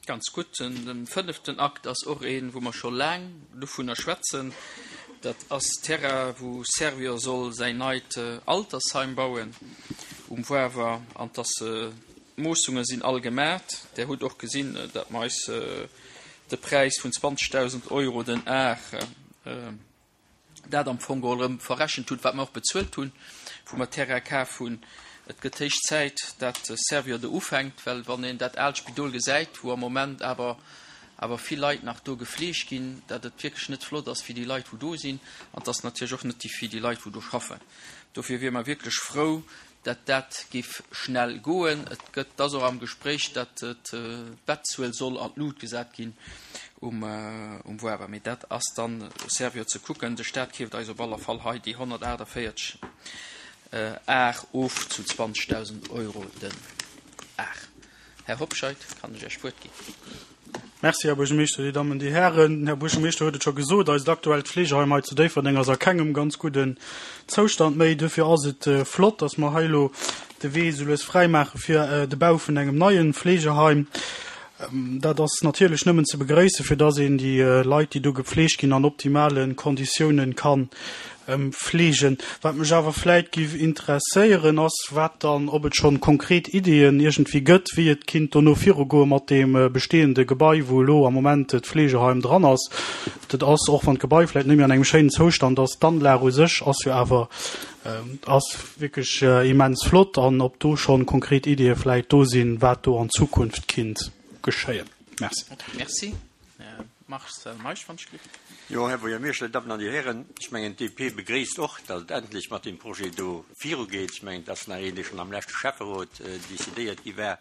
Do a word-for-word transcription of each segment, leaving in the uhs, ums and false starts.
Ganz gutt. De fënneften Akt ass och een, wou mer scho laang dovunner schwätzen. Dat ass Terrain, wou Servior soll säin neit Altersheim bauen um Wawer. An dass d'Moossunge sinn all gemat. Der hutt och gesinn, datt mer eis de Präis vun zwanzegdausend Euro den Ar dat am Fong geholl erëm verrechent hunn, wat mer och bezuelt hunn, wou mer Terrain kaf hunn. Et gëtt héich Zäit, dat Servior do ufänkt, well wann een dat aalt Spidol gesäit, wou am Moment awer awer vill Leit nach do gefleegt ginn, dat et wierklech net flott ass fir déi Leit, wou do sinn, an et ass natierlech och net déi fir déi Leit, wou do schaffen. Dofir wiere mer wierklech frou, dat dat géif schnell goen. Et gëtt, et ass och am Gespréich, dat d'Bettzuel soll an d'Lut gesat ginn um um Wawer. Mee dat ass dann Servior ze kucken. De Stat keeft eis op aller Fall hei déi honnertaachtavéierzeg Ar of zu zwanzegdausend Euro den Ar. Här Hobscheit, kann ech Iech d'Wuert ginn. Merci, Här Buergermeeschter, Dir Dammen, Dir Hären. Den Här Buergermeeschter huet et scho gesot, eist aktuellt Fleegeheim hei zu Déifferdeng ass a kengem ganz gudden Zoustand méi. Duerfir ass et flott, dass mer hei elo de Wee esou lues fräimaache fir de Bau vun engem neie Fleegeheim. Dat ass natierlech nëmmen ze begréissen, fir dass een déi Leit, déi do gepflegt ginn, an optimale Konditiounen kann fleegen. Wat mech awer vläit giff interesséieren, ass, wat dann, ob et schonn konkret Ideeën iergendwéi gëtt, wéi et kinnt dono virugoe mat deem bestehende Gebai, wou elo am Moment d'Fleegeheim dran ass. Dat ass, och wann d'Gebai vläit net méi an engem schéinen Zoustand ass, d'Anlag u sech ass jo awer, ass wierklech immens flott, an ob do schonn konkret Ideeë vläit do sinn, wat do an Zukunft kinnt geschéien. Merci. Merci. Här Marcel Meisch, wann ech gelift. Jo, Här Buergermeeschter, Dir Dammen an Dir Hären, ech mengen, d'D P begréisst och, datt et endlech mat deem Projet do virugeet. Ech mengen, et ass nach een, dee schonn am leschte Schäfferot decidéiert gi war.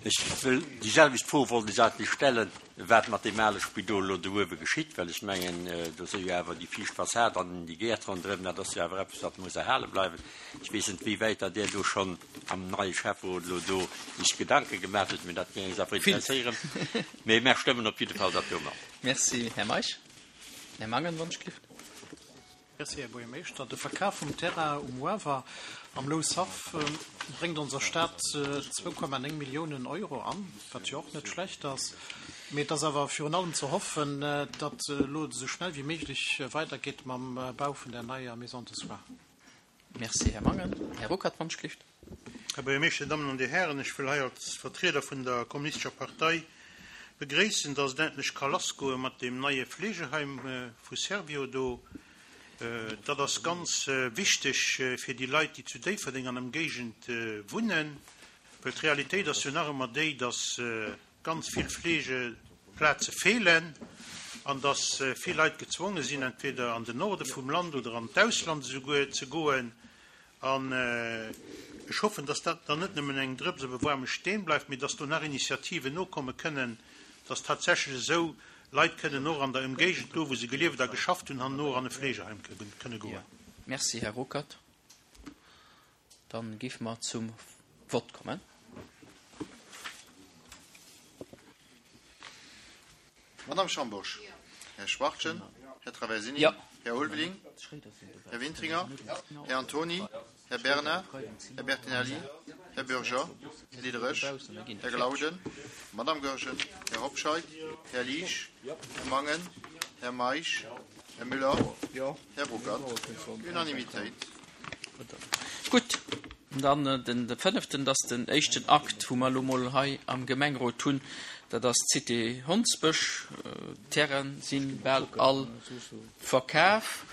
Ech wëll déi selwecht Fro wollt ech eigentlech stellen, wat mat deem ale Spidol elo do uewe geschitt, well ech mengen, do si jo awer déi viischt Fassad an déi Gäert ronderëm, dat ass jo awer eppes, wat muss erhale bleiwen. Ech weess net, wéi wäit datt Där do schonn am neie Schäfferot elo do Iech Gedanke gemaach hutt, mee dat géing eis awer interesséieren. Mee mär stëmmen op jidde Fall dat do mat. Merci, Här Meisch. Här Mangen, wann ech gelift. Merci, Här Buergermeeschter. De Verkaf vum Terrain um Wawer am Lousshaff bréngt onser Stad zwou Komma néng Milliounen Euro an, wat jo och net schlecht ass. Mee et ass awer virun allem ze hoffen, datt elo esou schnell wéi méiglech weidergeet mam Bau vun der neier Maison de soins. Merci, Här Mangen. Här Ruckert, wann ech gelift. Här Buergermeeschter, Dir Dammen an Dir Hären, ech wëll hei als Vertrieder vun der Kommunistescher Partei begréissen, dass et endlech ka lassgoe mat deem neie Fleegeheim vu Servior do. Dat ass ganz wichteg fir déi Leit, déi zu Déifferdeng an Ëmgéigend wunnen, well d'Realitéit ass jo nach ëmmer déi, dass ganz vill Fleegeplaze feelen an dass vill Leit gezwonge sinn, entweder an den Norde vum Land oder an d'Ausland esouguer ze goen. An ech hoffen, dass dat dann net nëmmen eng Drëps op e waarme Steen bleift, mee dass do nach Initiativen nokomme kënnen, dass tatsächlech esou Leit kënnen och an der Ëmgéigend, do wou se gelieft a geschafft hunn, herno an e Fleegeheim kënne goen. Merci, Här Ruckert. Dann géife mer zum Vott kommen. Madame Schambourg. Här Schwachtgen. Här Traversini. Jo. Här Ulveling. Här Wintringer. Här Antony. Här Bernard. Här Bertinelli. Här Bürger. Här Diderich. Här Glauden. Madame Goergen. Här Hobscheit. Här Liesch. Här Mangen. Här Meisch. Här Müller. Här Ruckert. Unanimitéit. Gutt, dann den fënneften, dat ass den éischten Akt, wou mer elo mol hei am Gemengerot hunn, dat ass d'Cité Hondsbësch. D'Terraine si bal all verkaf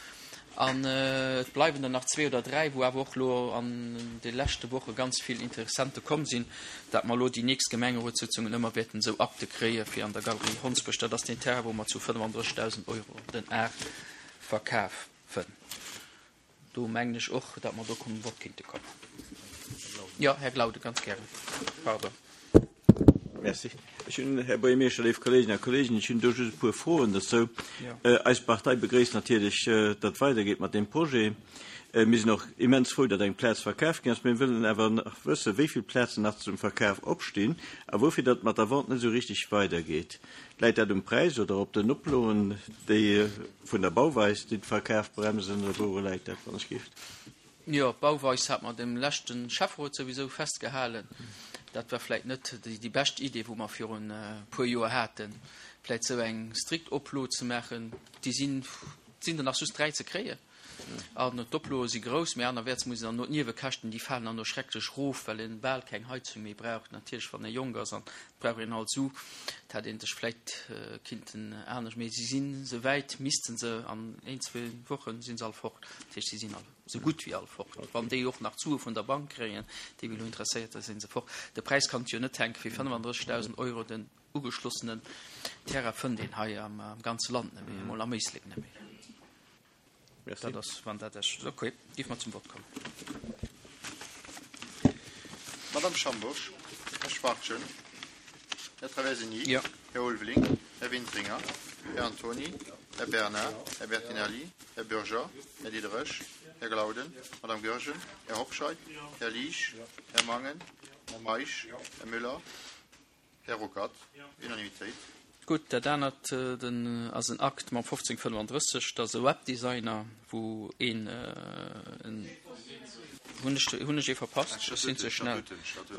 an et bleiwen der nach zwee oder dräi, wou awer och elo an de leschte Woche ganz vill Interessente komm sinn, dat mer elo déi nächst Gemengerotssitzungen ëmmer wäerten esou Akte kréie fir an der Galerie Hondsbësch. Dat ass deen Terrain, wou mer zu fënnefandrëssigdausend Euro den Ar verkafen. Do mengen ech och, datt mer do zum Vott kinnte kommen. Jo, Här Glauden, ganz gären. Pardon. Merci. Ech hunn, Här Buergermeeschter, léif Kolleeginnen a Kolleegen, ech hunn do just e puer Froen dozou. Eis Partei begréisst natierlech, datt et weidergeet mat deem Projet. Mir sinn och immens frou, datt eng Plaz verkaf ginn ass. Mir wëllen awer nach wëssen, wéi vill Plazen nach zum Verkaf opstinn a woufir datt et mat der Vente net esou richteg weidergeet. Läit dat um Präis oder op den Oploen, déi vun der Bauweis, déi de Verkaf bremsen, oder wouru läit dat, wann ech gift? Jo, d'Bauweis hat mer dem leschte Schäfferot souwisou festgehalen, Dat war vläicht net déi bescht Idee, wou mer virun e puer Joer haten, vläicht esou eng strikt Oplo ze maachen. Déi sinn, sinn der nach just dräi ze kréien. An d'Oploe si grouss, mee anerwäerts muss een dann no d'Niewekäschten, déi falen dann no schrecklech erof, well een bal keng Heizung méi brauch. Natierlech, wann ee jonk ass an et brauch een alt Su, et hätt een sech vläicht kinnten anescht, mee si sinn esouwäit, misste se an een, zwee Wochen si se all fort. Dat heescht, si sinn all esou gutt wéi all fort. Wann déi och nach d'Sue vun der Bank kréien, déi wéi elo interesséiert, da si se fort. De Präis kann et jo net hänken, fir fënnefandrëssegdausend Euro den ugeschlossenen Terrain fënnt een hei am ganze Land net méi, emol am Éislek net méi. Dat ass, wann dat Iech ok, géif mer zum Vott kommen. Madame Schambourg, Här Schwachtgen, Här Traversini, Jo. Här Ulveling, Här Wintringer, Här Antony, Här Bernard, Här Bertinelli, Här Bürger, Här Diderich, Här Glauden, Madame Goergen, Här Hobscheit, Här Liesch, Här Mangen, Här Meisch, Här Müller, Här Ruckert. Unanimitéit. Gutt, dat anert den ass en Akt mam fofzéng fënnefandrësseg, dat ass e Webdesigner, wou een en, hunn ech, hunn ech ee verpasst? Ech sinn ze schnell.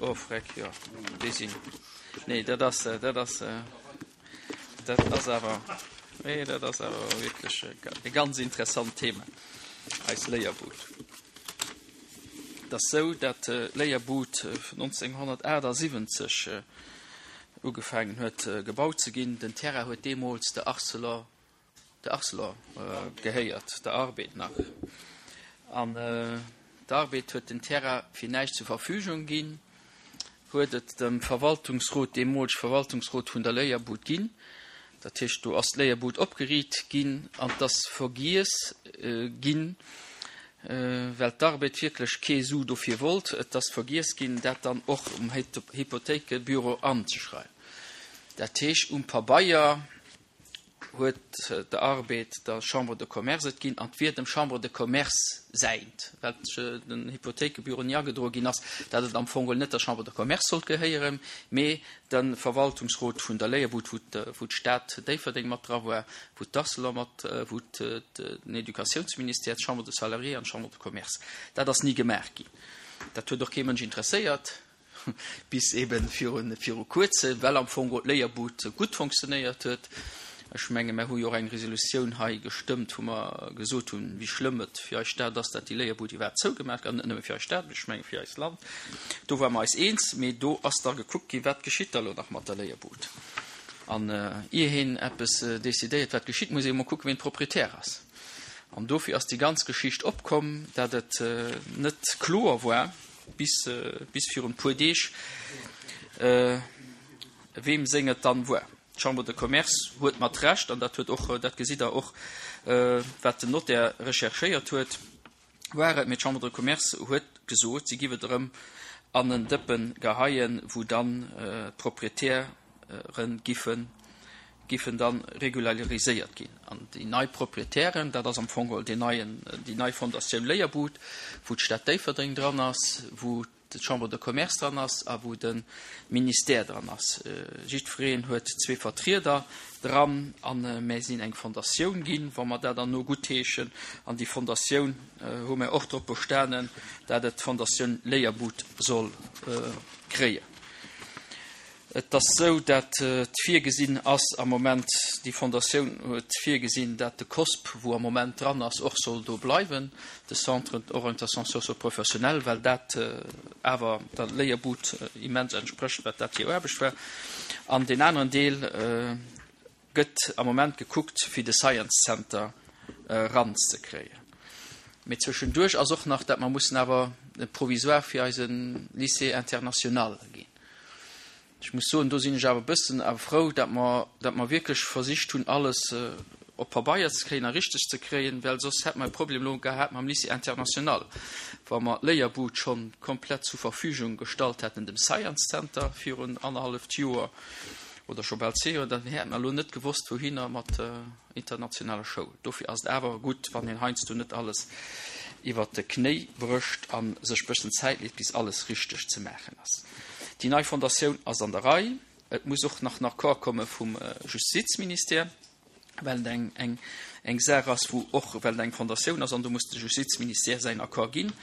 Oh freck, jo, déi sinn, nee, dat ass, dat ass, dat ass awer, nee, dat ass awer wierklech e ganz interessant Thema, eis Léierbud. Et ass esou, dat d'Léierbud nonzénghonnertaachtsiwwenzeg ugefaangen huet gebaut ze ginn. Den Terrain huet deemools der Arcelor, der Arcelor gehéiert, der Arbed nach. An d'Arbed huet den Terrain fir näischt zur Verfügung ginn, huet et dem Verwaltungsrot, deemolege Verwaltungsrot vun der Léierbud ginn. Dat heescht, do ass d'Léierbud opgeriit ginn an et ass vergiess ginn, well d'Arbed wierklech kee Su dofir wollt, et ass vergiess ginn, dat dann och um Hypothéikebüro anzeschreiwen. Dat heescht, um Pabeier huet d'Arbed der Chambre de Commerce et ginn an et wier dem Chambre de Commerce säint, well den Hypothéikebüro ni agedroe ginn ass, dat et am Fong geholl net der Chambre de Commerce sollt gehéieren, mee de Verwaltungsrot vun der Léierbud, wou d'Stad Déifferdeng mat dra war, wou d'Arcelor mat, wou den Educatiounsministère, d'Chambre des Salariés an d'Chambre de Commerce. Dat ass ni gemaach ginn. Dat huet och kee Mënsch interesséiert, bis eeben viru Kuerzem, well am Fong d'Léierbud gutt fonctionnéiert huet. Ech menge mer hu jo och eng Resolutioun hei gestëmmt, wou mer gesot hunn, wéi schlëmm et fir eis Stad ass, datt déi Léierbud iwwerhaapt zougemaach gëtt, net nëmme fir eis Stad, mee ech menge fir eist Land. Do ware mer eis eens, mee do ass da gekuckt ginn, wat geschitt da elo nach mat der Léierbud. An ier een eppes decidéiert, wat geschitt, muss ee emol kucken, wien Proprietär ass. An dofir ass déi ganz Geschicht opkomm, datt et net kloer war, bis, bis virun e puer Deeg, weem seng et dann war. D'Chambre de Commerce huet mat Recht, an dat huet och, dat gesitt Der och, wat den Notaire recherchéiert huet, war et, mee d'Chambre de Commerce huet gesot, si giff et erëm an en Dëppen geheien, wou dann d'Proprietäre giffen, giffen dann regulariséiert ginn. An déi nei Proprietären, dat ass am Fong geholl deen neien, déi nei Fondatioun Léierbud, wou d'Stad Déifferdeng dran ass, wou d'Chambre de Commerce dran ass a wou de Ministère dran ass. Jiddwereen huet zwee Vertrieder dran a mär sinn eng Fondatioun ginn, wa mer dat dann no guttheeschen. An déi Fondatioun hu mär och drop bestanen, dat et d'Fondatioun Léierbud soll kréien. Et ass esou, dat et virgesinn ass am Moment, déi Fondatioun huet virgesinn, dat de COSP, wou am Moment dran ass, och soll do bleiwen, de Centre d'orientation socio-professionnelle, well dat awer der Léierbud immens entsprécht, wat dat hir Aarbecht war. An deen aneren Deel gëtt am Moment gekuckt, fir de Science Center eranzekréien. Mee zwëschenduerch ass och nach, dat mer mussen awer e Provisoire fir eise Lycée international ginn. Ech muss soen, do sinn ech awer e bëssen awer frou, datt mer, datt mer wierklech versicht hunn, alles op Pabeier ze kréien a richteg ze kréien, well soss hätte mer e Problem elo gehat mam Lycée international, wa mer d'Léierbud schonn komplett zur Verfügung gestallt hätten dem Science Center virun annerhalleft Joer oder scho bal zwee Joer, dann hätte mer elo net gewosst, wouhinner mat der internationaler Schoul. Dofir ass et awer gutt, wann een heiansdo net alles iwwert de Knéi brécht a sech bëssen Zäit leet, bis alles richteg ze maachen ass. Déi nei Fondatioun ass an der Rei. Et muss och nach en Accord komme vum Justizministère. well et eng, eng, eng Saach ass, wou och, well et eng Fondatioun ass an do muss de Justizministère säin Accord ginn.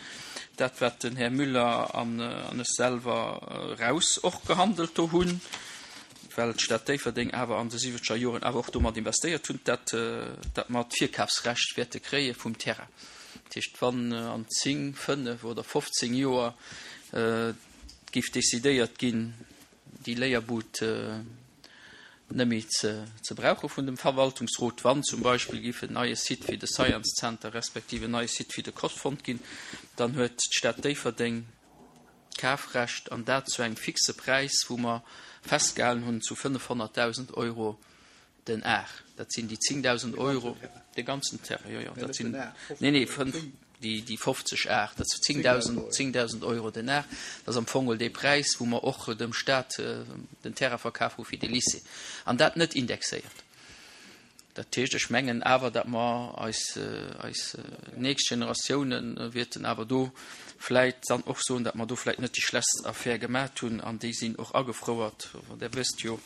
Dat, wat den Här Müller an, an ech selwer eraus och gehandelt do hunn, well d'Stad Déifferdeng awer an de siwwenzeger Joren awer och domat investéiert hunn, dat, dat mer d'Virkafsrecht wäerte kréie vum Terrain. Dat heescht, wann an zéng, fënnef oder fofzéng Joer géif decidéiert ginn, déi Léierbud net méi ze, ze brauche vun dem Verwaltungsrot, wann zum Beispill géif en neie Site fir de Science Center respektiv en neie Site fir de C O S fonnt ginn, dann huet d'Stad Déifferdeng d'Kafrecht an dat zu engem fixe Präis, wou mer festgehalen hunn zu fënnefhonnertdausend Euro den Ar. Dat sinn déi zéngdausend Euro, de ganzen Terrain, jo, jo, dat sinn, nee, nee, fënnf, déi, déi fofzeg Ar, dat sinn zéngdausend, zéngdausend Euro den Ar. Dat ass am Fong geholl dee Präis, wou mer och dem Staat den Terrain verkaf hu fir de Lycée. An dat net indexéiert. Dat heescht, ech mengen awer, datt mer eis, eis nächst Generatiounen wäerten awer do vläit dann och soen, datt mer do vläit net déi schlechtst Affär gemaat hunn, an déi sinn och agefrouert. Der wësst jo,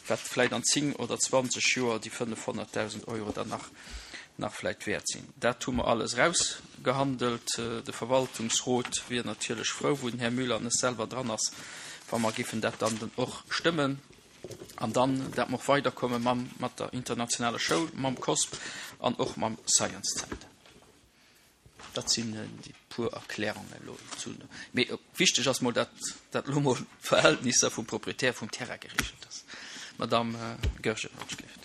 wat vläit an zéng oder zwanzeg Joer déi fënnefhonnertdausend Euro dann nach, nach vläit wäert sinn. Dat hu mer alles rausgehandelt. De Verwaltungsrot wier natierlech frou, wou den Här Müller net selwer dran ass, wa mer giffen dat dann och stëmmen. An dann, dat mer och weiderkomme mam, mat der internationaler Schoul, mam C O S P an och mam Science Center. Dat sinn déi puer Erklärungen elo zu. Mee wichteg ass mol, dat, dat lo mol d'Verhältnisser vum Proprietär vum Terrain geregelt ass. Madame Goergen, wann ech gleeft.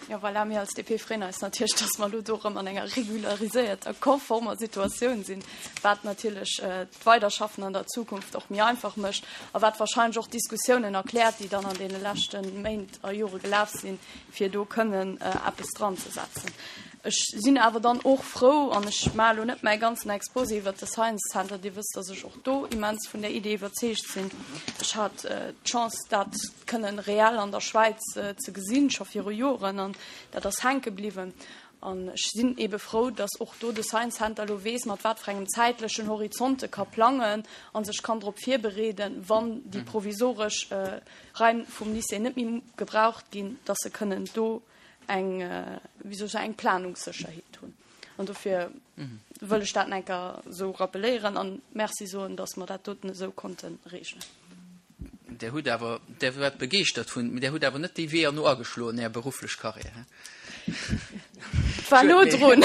Ja, voilà, mir als D P freeën eis natierlech, dass mer lo do erëm an enger regularisierter, konformer Situatioun sinn, wat natierlech, äh, d'Weiderschaffen an der Zukunft och méi einfach mécht a wat wahrscheinlech och Diskussiounen erkläert, déi dann an deene leschten Méint a Jore gelaf sinn, fir do kënnen, äh, eppes dran ze setzen. Ech sinn awer dann och frou, an ech maache lo net mäi ganzen Exposé iwwer de Science Center, Dir wësst, dass ech och do immens vun der Idee iwwerzeegt sinn. Ech hat, äh, d'Chance, dat kënnen reell an der Schwäiz, äh, ze gesinn, scho viru Joren, an dat ass hänke bliwwen. An ech sinn ebe frou, dass och do de Science Center lo weess, mat wat fir engem zäitlechen Horizonte ka plangen an sech kann drop virbereeden, wann déi provisoresch, äh, Raim vum Lycée net méi gebraucht ginn, dass se kënnen do eng, äh, wéi soll ich sagen, eng Planungssécherheet hunn. An dofir Mhm. wëll ech dat enker so rappelléieren an Merci soen, dass mer dat doten esou konnten regeln. Der huet awer, der war begeeschtert vun, der huet awer net déi Weeër no ageschloen, är beruflech Karriär, hä? War no drun.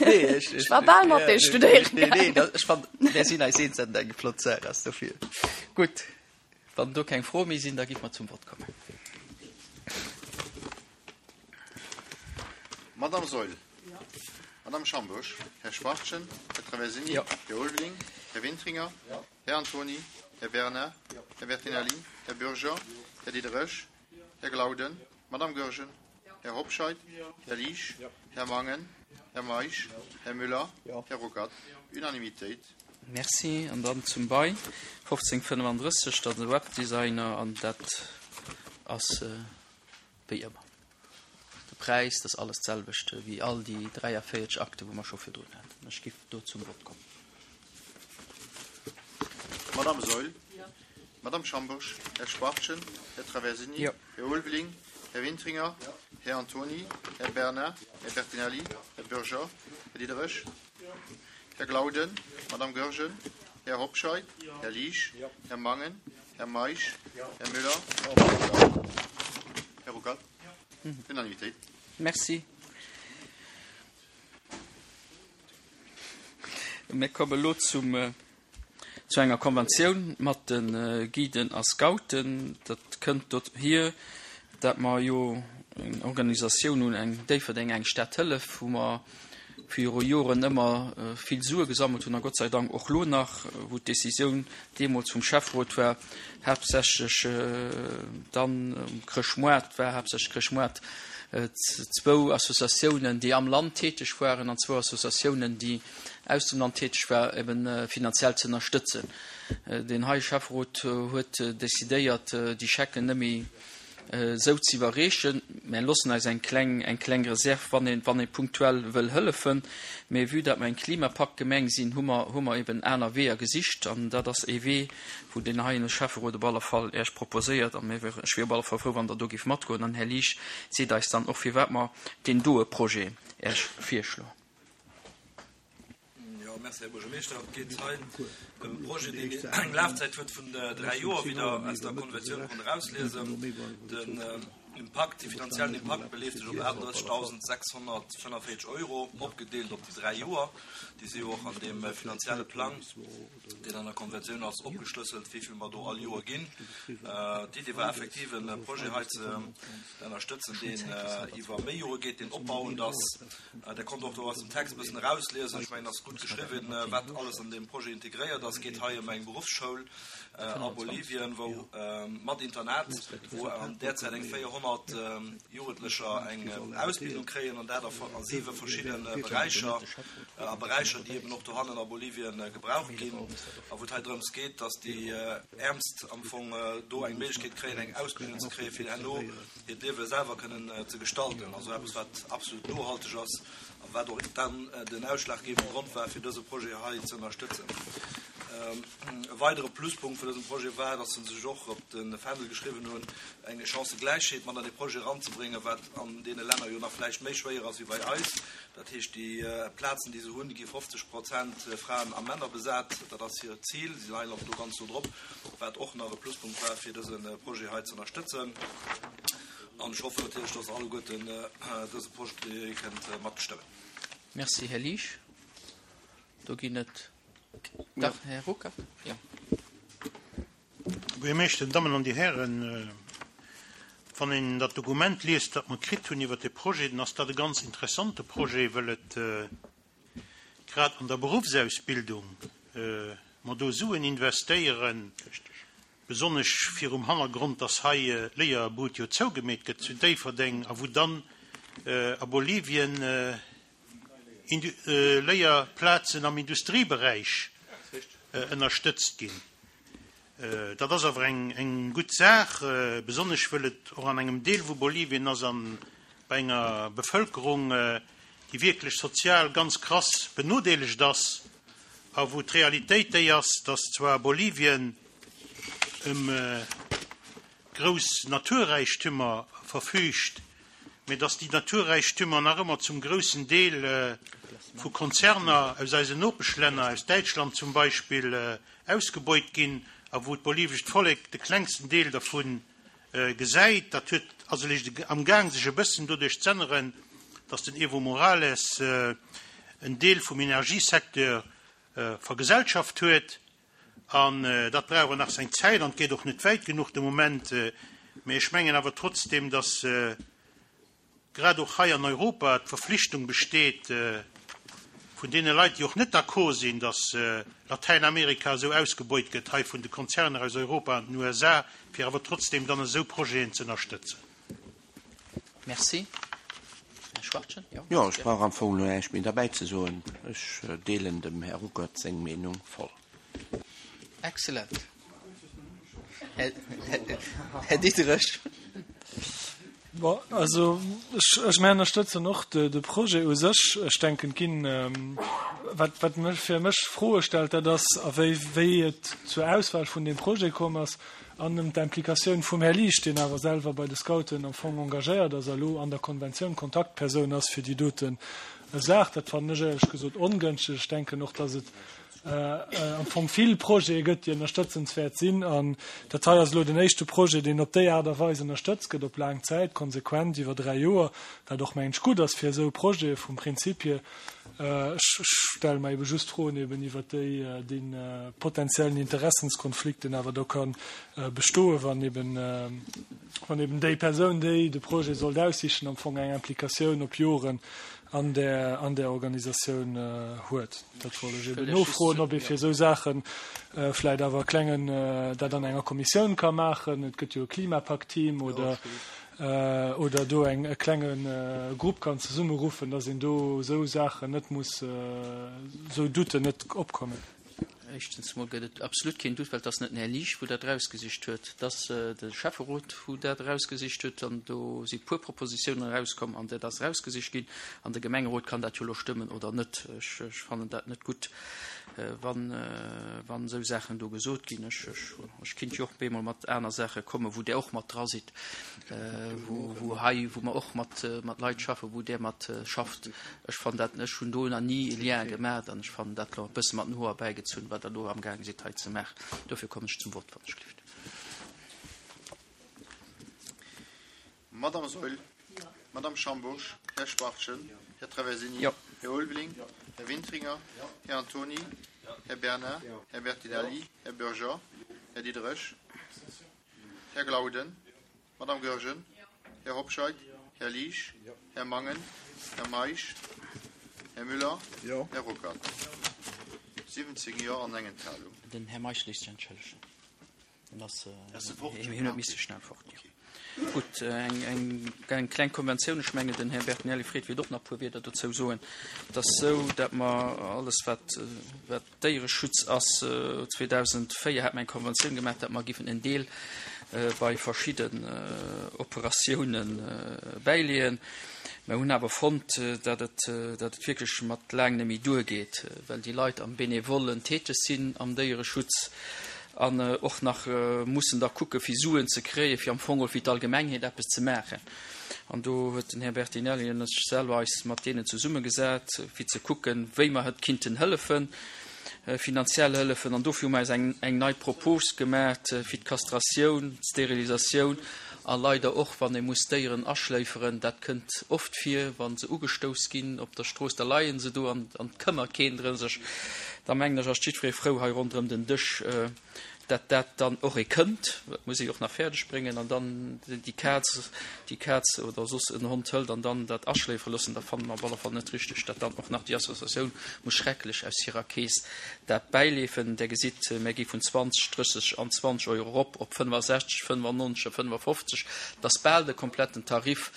Nee, ech, Ech war bal mat ja, dir studéieren nee, nee, gaangen. dat, ech fand, der sinn eis eens an eng flott Saach ass dofir. Gutt, wann do keng Fro méi sinn, da giff mer zum Wort kommen. Madame Seul, Madame Schambusch, Herr Schwartchen, Herr Traversini, Ja. Herr Ulveling, Herr Wintringer, Ja. Herr Antoni, Herr Bernard, Herr Bertinelli, Herr Bürger, Herr Diderich, Herr Glauden, Madame Goergen, Herr Hobscheit, Herr Liesch, Herr Mangen, Herr Meisch, Herr Müller, Herr Ruckert. Unanimitéit. Merci. An dann zum Bei fofzéng fënnefundrësseg, dat de Webdesigner, an dat ass, äh, wéi ëmmer. De Preis, das alles selwechte wéi all déi dräiavéierteg Akte, wou mer scho virdrun haten. Ech giff do zum Wort kommen. Madame Seul, Madame Schambusch, Herr Schwartchen, Herr Traversini, Ja. Herr Ulveling, Herr Wintringer, Herr Antoni, Herr Bernard, Herr Bertinelli, Herr Bürger, Herr Diderich, Herr Glauden, Madame Goergen, Herr Hobscheit, Herr Liesch, Herr Mangen, Herr Meisch, Herr Müller, Herr Ruckert. Unanimitéit. Merci. Mir kommen lo zum, äh, zu enger Konventioun mat den, äh, Guiden a Scouten. Dat kënnt dort hier, dat mer jo eng Organisatioun hunn, eng Déifferdeng, eng Stadhëllef, wou mer viru Joren ëmmer, äh, vill Sue gesammelt hunn, a Gott sei Dank och lo nach, wou d'Decisioun deemools vum Chefrot war, haaptsächlech, äh, dann um Chrëschtmoart war, haaptsächlech Chrëschtmoart, äh, z-, zwou Associatiounen, déi am Land tätig waren, an zwou Associatiounen, déi aus dem Land tätig waren, eben, äh, finanziell ze ënnerstëtzen. Äh, den hei Chefrot, äh, huet, äh, decidéiert, äh, déi Schecken net méi, esou ze iwwerreechen. Mär loossen eis eng kleng, eng kleng Reserv, wann een, wann ee punktuell wëll hëllefen. Mee vue dat mer eng Klimapakt-Gemeng sinn, hu mer, hu mer eben aner Weeër gesicht. An dat ass ee Wee, wou deen heien Schäfferot op alle Fall Iech proposéiert. A mir wieren, ech wier op alle Fall frou, wann Der do géift matgoen. An Här Liesch seet eis dann och, firwat mer deen doe Projet Iech virschloen. Jo, merci, Här Buergermeeschter. Et geet hei ëm e Projet, deen eng Lafzäit huet vun dräi Joer, wéi Der aus der Konventioun konnt erausliesen. Den Impakt, de finanziellen Impakt beleeft sech op aachtenddrëssegtausendsechshonnertfënneféierzeg Euro, opgedeelt op déi dräi Joer. Déi si jo och an deem finanzielle Plang, deen an der Konventioun ass, opgeschlësselt, wéi vill mer do all Joer ginn. D'Idee war effektiv, e Projet hei ze ënnerstëtzen, deen iwwer méi Jore geet, deen opbauend ass. Der konnt och do aus dem Text e bëssen erausliesen, ech mengen, ass gutt geschriwwen, wat alles an deem Projet integréiert ass. Et geet hei ëm eng Beruffsschoul a Bolivien, wou mat Internat, wou an där Zäit eng véierhonnert Jugendlecher eng Ausbildung kréien, an dat a siwe verschidde Beräicher, a Beräicher, déi eben och dohannen a Bolivien gebraucht ginn, a wou et hei drëms geet, dass déi Äermst am Fong do eng Méiglechkeet kréien, eng Ausbildung ze kréien, fir herno hiert Liewe selwer kënnen ze gestalten. Also eppes, wat absolut nohalteg ass a wat och dann den ausschlaggebende Grond war, fir dëse Projet hei ze ënnerstëtzen. E weidere Pluspunkt vun dësem Projet war, dass se sech och op de Fändel geschriwwen hunn, eng Chancëgläichheet mat an dee Projet eranzebréngen, wat an deene Länner jo nach vläicht méi schwéier ass wéi bei eis. Dat heescht, déi Plazen, déi se hunn, gi fofzeg Prozent Fraen a Männer besat. Dat ass hiert Zil. Si leien och do ganz no drop, wat och nach e Pluspunkt war, fir dëse Projet hei ze ënnerstëtzen. An ech hoffen natierlech, dass Der alleguerten dëse Projet kënnt matstëmmen. Merci, Här Liesch. Do ginn et. Dach, Här Ruckert, jo. Här Buergermeeschter, Dammen an Dir Hären, wann een dat Dokument liest, dat mer kritt hunn iwwert dee Projet, dann ass dat e ganz interessante Projet, well et grad an der Beruffsausbildung mer do Suen investéieren, besonnesch virum Hannergrond, dass hei d'Léierbud jo zougemeet gëtt zu Déifferdeng a wou dann a Bolivien Léierplazen am Industrieberäich ënnerstëtzt ginn. Dat ass awer eng gutt Saach, besonnesch wëll et och an engem Deel vu Bolivien ass a bei enger Bevëlkerung, déi wierklech sozial ganz krass benodeelegt ass a wou d'Realitéit déi ass, dass zwar Bolivien ëm grouss Naturräichtümer verfüügt, mä dass déi Naturräichtümer nach ëmmer zum groussen Deel vu Konzerner aus eisen Nopeschlänner, aus Däitschland zum Beispill, ausgebeut ginn a wou d'bolivescht Vollek de klengsten Deel dervu gesäit. Dat huet, ass eréischt amgaang sech e bëssen doduerch z'änneren, dass den Evo Morales en Deel vum Energiesecteur vergesellschaft huet. An dat brauch awer nach seng Zäit an et geet och net wäit genuch de Moment. Mä ech mengen awer trotzdem, dass grad och hei an Europa d'Verflichtung besteet vun deene Leit, déi och net d'accord sinn, dass Latäinamerika esou ausgebeut gëtt hei vun de Konzerner aus Europa an den U S A, fir awer trotzdem dann esou Projeten ze ënnerstëtzen. Merci. Här Schwachtgen, jo? Jo, ech brauch am Fong elo näischt méi derbäi ze soen. Ech deelen dem Här Ruckert seng Meenung voll. Excellent. Här Diderich. Bon, also ech, ech mir ënnerstëtzen och de, de Projet u sech. Ech denken, et ginn, wat, wat mech, fir mech Froe stellt, dat ass, a wéi, wéi et zur Auswahl vun deem Projet komm ass an ëm d'Implikatioun vum Här Liesch, deen awer selwer bei de Scouten am Fong engagéiert ass a lo an der Konventioun Kontaktpersoun ass fir déi doten Saach. Dat fannen ech éierlech gesot ongënschteg. Ech denken och, dass et am Fong vill Projete gëtt, déi ënnerstëtzenswäert sinn. An dat hei ass elo den éischte Projet, deen op déi Aart a Weis ënnerstëtzt gëtt, op laang Zäit, konsequent iwwer dräi Joer, wat och, mengen ech, gutt ass fir esou Projete vum Prinzip hier. Ech stelle mer ebe just Froen eben iwwer déi, dee potenziellen Interessenskonflikt, deen awer do ka bestoen, wann eben, wann eben déi Persoun, déi de Projet sollt aussichen, am Fong eng Implikatioun op Joren an där, an där Organisatioun huet. Dat wollt ech eben nofroen, ob ee fir esou Saache vläicht awer e klengen, dat an enger Kommissioun ka maachen. Et gëtt jo e Klimapakt-Team oder, oder do eng, e klenge Grupp kann zesummeruffen, dass een do esou Saachen net muss, esou Douten net opkommen. Éischtens emol gëtt et absolut keen Doute, well et ass net den Här Liesch, wou dat erausgesicht huet, et ass de Schäfferot, wou dat erausgesicht huet. An do si puer Propositiounen erauskomm an dat ass erausgesicht ginn. An de Gemengerot kann dat jo elo stëmmen oder net. Ech, ech fannen dat net gutt, wann, wann esou Saachen do gesot ginn. Ech, ech, ech kinnt jo och bemol mat aner Saache kommen, wou Der och mat dra sidd, wou, wou hei, wou mer och mat, mat Leit schaffen, wou Der mat schafft. Ech fannen dat, ech hunn do nach ni e Lien gemaach an ech fannen dat elo e bësse mat den Hoer erbäigezunn, wat Der do amgaang sidd hei ze maachen. Dofir kommen ech zum Vott, wann ech gelift. Madame Saeul, Madame Schambourg, Här Spartchen, Här Traversini, Jo. Här Ulveling, Här Wintringer, Här Antoni, Här Bernard, Här Bertinelli, Här Bürger, Här Diderich, Här Glauden, Madame Goergen, Här Hobscheit, Här Liesch, Här Mangen, Här Meisch, Här Müller, Här Ruckert. siwwenzéng Jo an eng Enthalung. Den Här Meisch léisst sech entschëllegen. En ass, Ass e fort? hien huet misse schnell fort, jo. Gutt, eng, eng, eng kleng Konventioun. Ech mengen, den Här Bertinelli freet, wéilt och nach e puer Wierder dozou soen. Et ass esou, datt mer alles, wat, wat Déiereschutz ass, zweedausendvéier hat mer eng Konventioun gemaach, datt mer giffen en Deel bei verschidden Operatiounen bäileeën. Mer hunn awer fonnt, datt et, datt et wierklech mat laang net méi duergeet, well déi Leit am Benevollen täteg sinn am Déiereschutz an och nach mussen da kucke fir Suen ze kréien, fir am Fong och fir d'Allgemengheet eppes ze maachen. An do huet den Här Bertinelli an ech selwer eis mat deenen zesummegesat, fir ze kucken, wéi mer et kinnten hëllefen, finanziell hëllefen. An dofir hu mer eis eng, eng nei Propos gemaach fir d'Kastratioun, d'Sterilisatioun a leider och, wann ee muss Déieren aschléiferen. Dat kënnt oft vir, wa se ugestouss ginn op der Strooss, da leie se do an et këmmert keen drëm sech. Da mengen ech, ass jiddweree frou hei ronderëm den Dësch, dat dat dann och ee kënnt, dat muss ee och nach fäerdeg bréngen, an dann déi Kaz, déi Kaz oder soss en Hond hëlt an dann dat aschléifere loossen, da fanne mer op alle Fall net richteg, dat dann och nach déi Associatioun muss schrecklech aus hirer Keess dat bäileefen. Der gesitt, mir gi vun zwanzeg, drësseg an zwanzeg Euro erop op fënnefasechzeg, fënnefannonzeg a fënnefafofzeg. Dat ass bal de kompletten Tarif,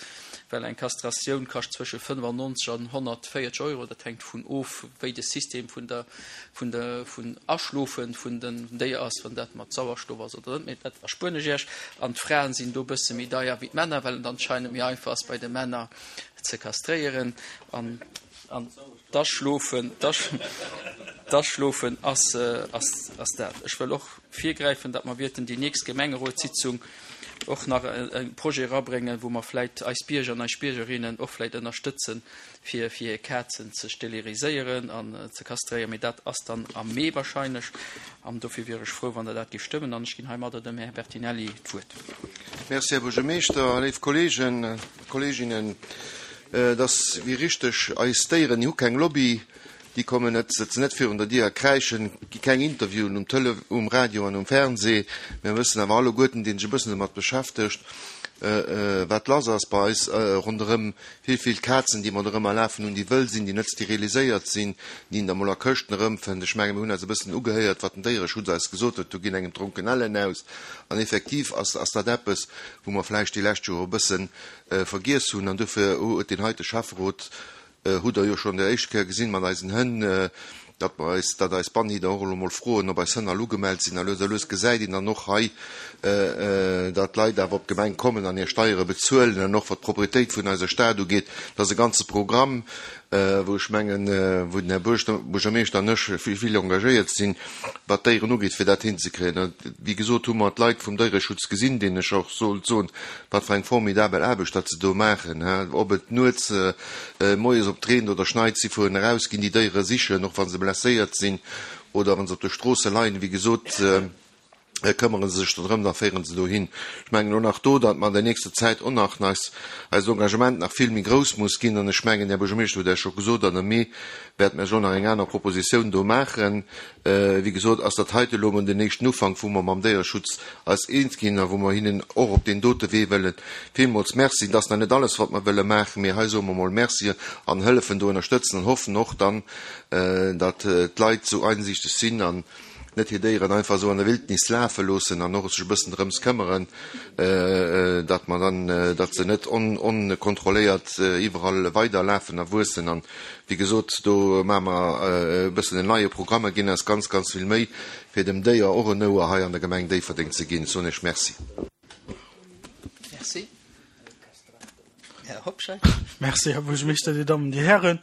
well eng Kastratioun kascht zwësche fënnefannonzeg an honnertvéierzeg Euro. Dat hänkt vun of, wéi de System vun der, vun der, vun Aschlofen vun den Déier ass, wann dat mat Sauerstoff ass oder net. Mee dat erspueren ech Iech. An d'Fraen sinn do e bësse méi deier wéi d'Männer, well et anscheinend méi einfach ass, bei de Männer ze kastréieren. An, an d'Aschlofen, d'Aschlofen ass, ass, ass dat. Ech wëll och virgräifen, datt mer wierten déi nächst Gemengerotssitzung och nach e Projet erabréngen, wou mer vläit eis Bierger an eis Biergerinnen och vläit ënnerstëtzen, fir, fir hir Kazen ze steriliséieren an ze kastréieren. Mee dat ass dann am Mee wahrscheinlech. An dofir wier ech frou, wann Der dat géift stëmmen. An ech ginn heimadder dem Här Bertinelli d'Wuert. Merci, Här Buergermeeschter. Léif Kolleegen, Kolleeginnen, et ass wéi richteg, eis Déieren, déi hu keng Lobby. Déi kommen net, sëtzen net virun der Dier a kräischen, gi keng Interviewen um Tele, um Radio an um Fernseh. Mir wëssen awer alleguerten, deen sech e bëssen domat beschäftegt, wat lass ass bei eis ronderëm. Vill, vill Kazen, déi mer dorëmmer lafen hunn, déi wëll sinn, déi net steriliséiert sinn, déi een da mol a Këschten erëmfënnt. Ech menge mir hunn eis e bëssen ugehéiert, wat den Déiereschutz eis gesot huet. Do ginn engem d'Dronkenellen aus. An effektiv ass, ass dat eppes, wou mer vläicht déi lescht Joer e bësse vergiess hunn. An dofir huet deen heite Schäfferot, hutt Der jo schonn déi éischt Kéier gesinn mat eisen Hënn, datt mer eis, datt eis Bannhider och elo mol froen, ob eis Hënn all ugemellt sinn. A lues a lues gesäit een dann och hei, datt d'Leit awer op d'Gemeng kommen an hir Steiere bezuelen. An och wat d'Proprietéit vun eiser Stad ugeet, dat ass e ganze Programm, wou ech mengen, wou den Här Buergermeeschter an ech vill, vill engagéiert sinn, wat d'Déieren ugeet, fir dat hinzekréien. A wéi gesot hu mer d'Leit vum Déiereschutz gesinn, deenen ech och sollt soen, wat fir eng formidabel Aarbecht dat se do maachen, ob et nuets, moies op d'Reent oder schneit, si fueren eraus, ginn déi Déiere sichen, och wa se blesséiert sinn oder wa se op de Stroosse leien. Wéi gesot, këmmere se sech dodrëm, da féiere se dohin. Ech mengen och nach do, datt mer an der nächster Zäit och nach eis, eist Engagement nach vill méi grouss muss ginn. An ech mengen, Här Buergermeeschter huet Iech scho gesot, an am Mee wäerte mer jo nach eng aner Propositioun do maachen. Wéi gesot, ass dat heite elo emol den éischten Ufank, wou mer mam Déiereschutz eis eens ginn a wou mer hinnen och op deen dote Wee wëllen villmools Merci. Dat ass nach net alles, wat mer wëlle maachen, mee hei soe mer emol Merci an hëllefen do ënnerstëtzen an hoffen och dann, datt d'Leit esou einsichteg sinn an net hir Déieren einfach esou an der Wildnis lafe loossen an och sech e bëssen drëms këmmeren, datt mer dann, datt se net onkontrolléiert iwwerall weiderlafen a wuessen. An, wéi gesot, do maache mer e bëssen en neie Programm a ginn eis ganz, ganz vill Méi, fir dem Déier och en Ouer hei an der Gemeng Déifferdeng ze ginn. Soen Iech Merci. Merci. Här Hobscheit. Merci, Här Buergermeeschter, Dir Dammen, Dir Hären.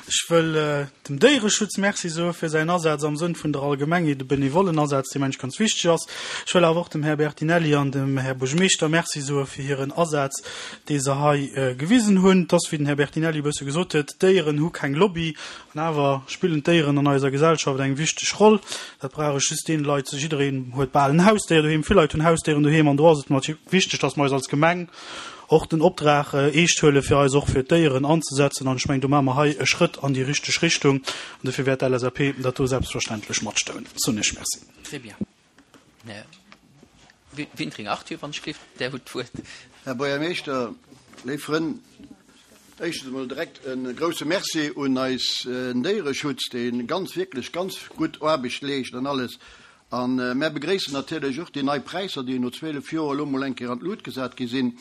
Ech wëll dem Déiereschutz Merci soe fir säin Asaz am Sënn vun der Allgemengheet, e benevollen Asaz, dee mengen ech ganz wichteg ass. Ech wëll awer och dem Här Bertinelli an dem Här Buergermeeschter Merci soe fir hiren Asaz, dee se hei gewisen hunn. Et ass, wéi den Här Bertinelli e bësse gesot huet, d'Déieren hu keng Lobby. An awer spillen d'Déieren an eiser Gesellschaft eng wichteg Roll. Dat brauch ech just deene Leit, jiddereen huet bal en Hausdéier doheem, vill Leit hunn Hausdéieren doheem an do ass et natierlech wichteg, dass mer eis als Gemeng och den Opdrag eescht huelen, fir eis och fir d'Déieren anzesetzen. An ech mengen, do maache mer hei e Schrëtt an déi richteg Richtung. An dofir wäert d'LSAP dat do selbstverständlech matstëmmen. Soen ech Merci. Très bien. Här Wintring Arthur, wann ech gleef, Der hutt d'Wuert. Här Buergermeeschter, léif Frënn, éischtens emol direkt e grouse Merci un eis Déiereschutz, dee ganz, wierklech ganz gutt Aarbecht leescht an alles. A mär begréissen natierlech och déi nei Präisser, déi no zwielef Joer elo mol eng Kéier an d'Lut gesat gi sinn.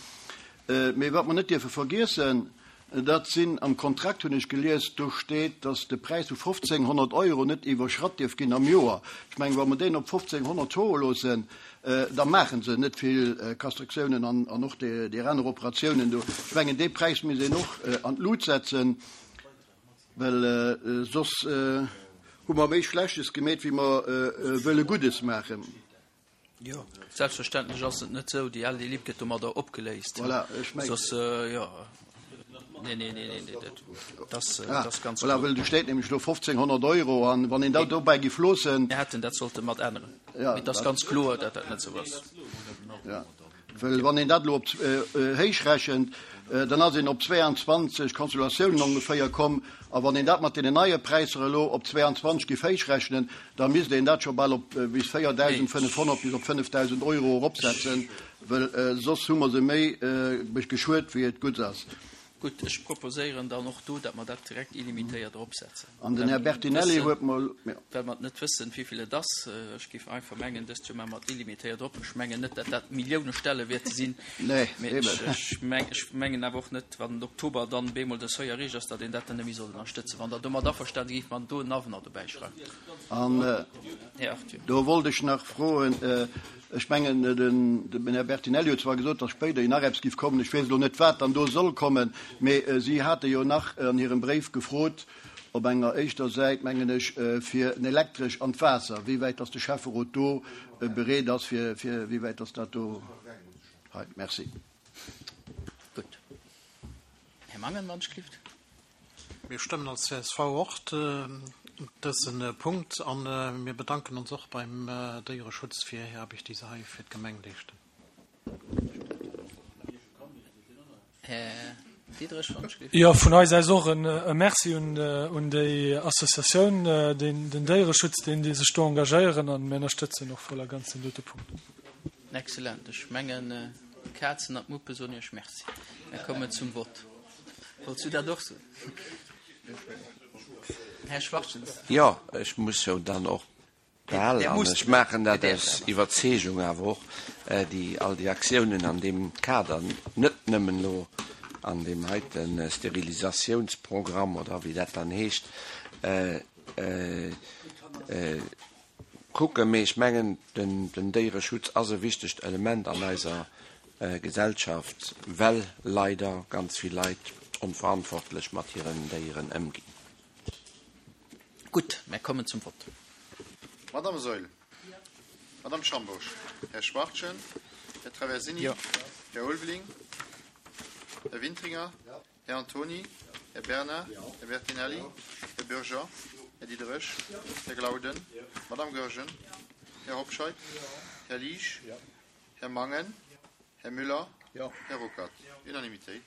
Mee wat mer net dierfe vergiessen, dat sinn, am Kontrakt hunn ech gelies, do steet, datt de Präis vu fofzénghonnert Euro net iwwerschratt dierf ginn am Joer. Ech mengen, wa mer deen op fofzénghonnert soe loossen, da maache se net vill Kastratiounen an och déi aner Operatiounen do. Ech mengen, dee Präis misst een och an d'Lut setzen, well soss hu mer méi Schlechtes gemeet, wéi mer wëlle Guddes maachen. Jo, selbstverständlech ass et net esou, déi L D L I P gëtt domadder opgeléist. Voilà, ech mengen. Soss, jo. Nee, nee, nee, nee, dat, dat, Ah, dat ass ganz voilà, kloer. Well do steet nämlech elo fofzénghonnert Euro an wann een dat dobäi giff loossen. Mir hätten dat sollte mat änneren. Ja, Mee et ass dat. ganz kloer, datt dat net esou ass. Ja. Well wann een dat elo op héich rechent, dann ass een op zweeanzwanzeg Consultatiounen ongeféier komm. A wann een dat mat deenen neie Präisser elo op zweeanzwanzeg géif héichrechnen, da misst een dat scho bal op bis véierdausendfënnefhonnert bis op fënnefdausend Euro eropsetzen, well soss hu mer se méi geschuet, wéi et gutt ass. Gutt, ech proposéieren dann och do, datt mer dat direkt illimitéiert eropsetzen. An den Här Bertinelli huet mer. Well mer net wëssen, wéivill et ass. Ech géif einfach mengen, dëst Joer maache mer et illimitéiert erop. Ech mengen net, datt dat Millioune Stelle wäerte sinn. Nee, Mee eben. ech ech mengen awer och net, wann den Oktober dann bemol de Seuil erreecht ass, datt een dat dann net méi soll ënnerstëtzen. Wann Der domat averstane sidd, géife mer do en Avenant dobäi schreiwen. An Här Arthur. do wollt ech nach froen, Ech mengen, den Här Bertinelli huet zwar gesot, datt spéiderhin nach eppes giff kommen, ech weess elo net, wat dann do soll kommen, mee si hate jo nach an hirem Bréif gefrot, op enger éischter Säit, mengen ech, fir en Elektresch an d'Waasser, wéi wäit datt de Schäfferot do bereet ass, fir, fir, wéi wäit datt dat do hei. Merci. Gutt. Här Mangen, wann ech gelift. Mir stëmmen als C S V och dëse Punkt a mir bedanken ons och beim Déiereschutz fir hir Aarbecht, déi se hei fir d'Gemeng leeschten. Här Diderich, wann ech gelift. Jo, vun eis aus och e Merci un déi Associatioun, den Déiereschutz, deen déi sech do engagéieren, a mir ënnerstëtzen och voll a ganz deen dote Punkt. Excellent. Ech mengen, d'Kazen an d'Muppe soen Iech Merci. Mir kommen zum Vott. Wollts du dat och soen? Här Schwachtgen. Jo, ech muss jo dann och bal, Der an muss ech maachen dat Der aus däerf awer. Iwwerzeegung awer och, déi all déi Aktiounen an deem Kader, net nëmmen elo an deem heite Sterilisatiounsprogramm oder wéi dat dann heescht, kucken. Mee ech mengen, den Déiereschutz ass e wichtegt Element an eiser Gesellschaft, well leider ganz vill Leit onverantwortlech mat hiren Déieren ëmginn. Gutt, mir kommen zum Vott. Madame Saeul. Madame Schambourg. Här Schwachtgen. Här Traversini. Jo. Här Ulveling. Här Wintringer. Här Antoni. Här Bernard. Här Bertinelli. Här Bürger. Här Diderich. Här Glauden. Madame Goergen. Här Hobscheit. Här Liesch. Här Mangen. Här Müller. Här Ruckert. Unanimitéit.